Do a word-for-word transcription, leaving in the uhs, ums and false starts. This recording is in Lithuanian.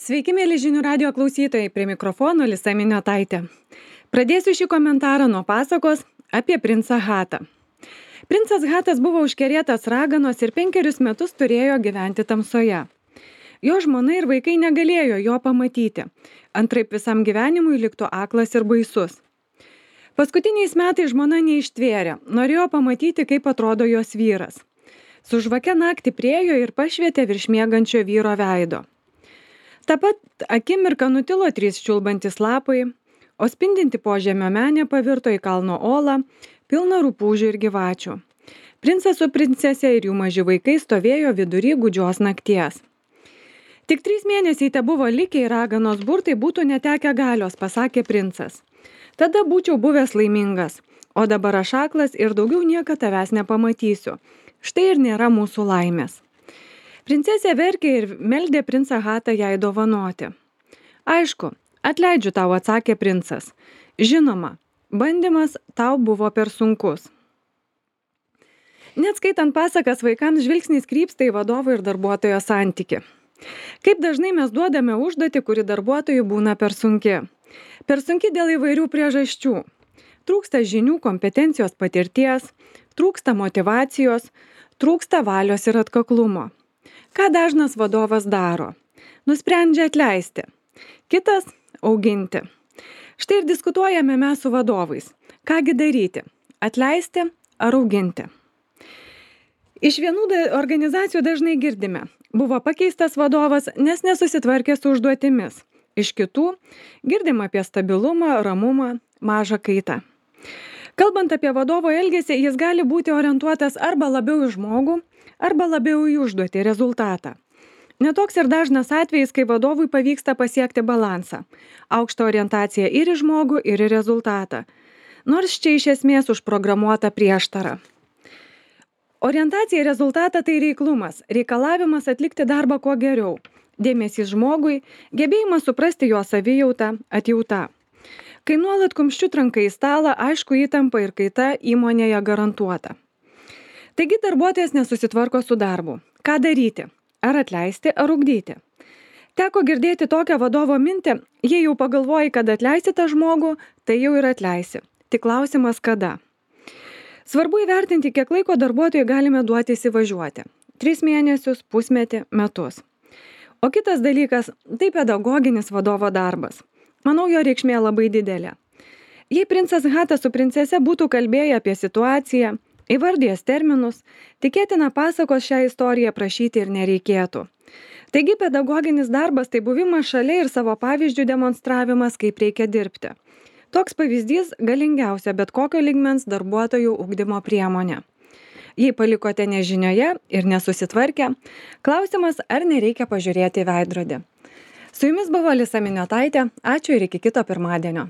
Sveiki, mėly žinių radio klausytojai, prie mikrofono Lisa Miniotaitė. Pradėsiu šį komentarą nuo pasakos apie princą Hatą. Princas Hatas buvo užkerėtas raganos ir penkerius metus turėjo gyventi tamsoje. Jo žmona ir vaikai negalėjo jo pamatyti, antraip visam gyvenimui liktų aklas ir baisus. Paskutiniais metais žmona neištvėrė, norėjo pamatyti, kaip atrodo jos vyras. Su žvake naktį priėjo ir pašvietė virš miegančio vyro veido. Ta pat akimirką nutilo trys čiulbantys lapai, o spindinti požemio menė pavirto į kalno olą, pilną rupūžių ir gyvačių. Princas su princese ir jų maži vaikai stovėjo vidury gūdžios nakties. Tik trys mėnesiai te buvo likę ir raganos burtai būtų netekę galios, pasakė princas. Tada būčiau buvęs laimingas, o dabar aš aklas ir daugiau niekada tavęs nepamatysiu. Štai ir nėra mūsų laimės. Princesė verkė ir meldė princą Hatą jai dovanoti. Aišku, atleidžiu tau, atsakė princas. Žinoma, bandymas tau buvo per sunkus. Net skaitant pasakas, vaikams žvilgsnis krypsta į vadovo ir darbuotojo santyki. Kaip dažnai mes duodame užduotį, kuri darbuotojui būna per sunki. Per sunki dėl įvairių priežasčių. Trūksta žinių, kompetencijos, patirties, trūksta motyvacijos, trūksta valios ir atkaklumo. Ką dažnas vadovas daro? Nusprendžia atleisti. Kitas – auginti. Štai ir diskutuojame mes su vadovais. Kągi daryti? Atleisti ar auginti? Iš vienų organizacijų dažnai girdime. Buvo pakeistas vadovas, nes nesusitvarkė su užduotimis. Iš kitų girdim apie stabilumą, ramumą, mažą kaitą. Kalbant apie vadovo elgesį, jis gali būti orientuotas arba labiau į žmogų, arba labiau į užduotį, rezultatą. Netoks ir dažnas atvejis, kai vadovui pavyksta pasiekti balansą. Aukštą orientaciją ir į žmogų, ir į rezultatą. Nors čia iš esmės užprogramuota prieštara. Orientacija į rezultatą tai reiklumas, reikalavimas atlikti darbą kuo geriau. Dėmesys žmogui, gebėjimas suprasti jo savijautą, atjautą. Kai nuolat kumščiu tranka į stalą, aišku, įtampa ir kaita įmonėje garantuota. Taigi darbuotojas nesusitvarko su darbu. Ką daryti? Ar atleisti, ar ugdyti? Teko girdėti tokią vadovo mintį, jei jau pagalvoji, kad atleisi tą žmogų, tai jau ir atleisi. Tik klausimas kada. Svarbu įvertinti, kiek laiko darbuotojui galime duoti įsivažiuoti. Tris mėnesius, pusmetį, metus. O kitas dalykas – tai pedagoginis vadovo darbas. Manau, jo reikšmė labai didelė. Jei princas Hatas su princese būtų kalbėję apie situaciją, įvardijęs terminus, tikėtina pasakos šią istoriją prašyti ir nereikėtų. Taigi pedagoginis darbas tai buvimas šalia ir savo pavyzdžių demonstravimas, kaip reikia dirbti. Toks pavyzdys galingiausia bet kokio lygmens darbuotojų ugdymo priemonė. Jei palikote nežinioje ir nesusitvarkę, klausimas, ar nereikia pažiūrėti į veidrodį. Su jumis buvo Lisa Miniotaitė, ačiū ir iki kito pirmadienio.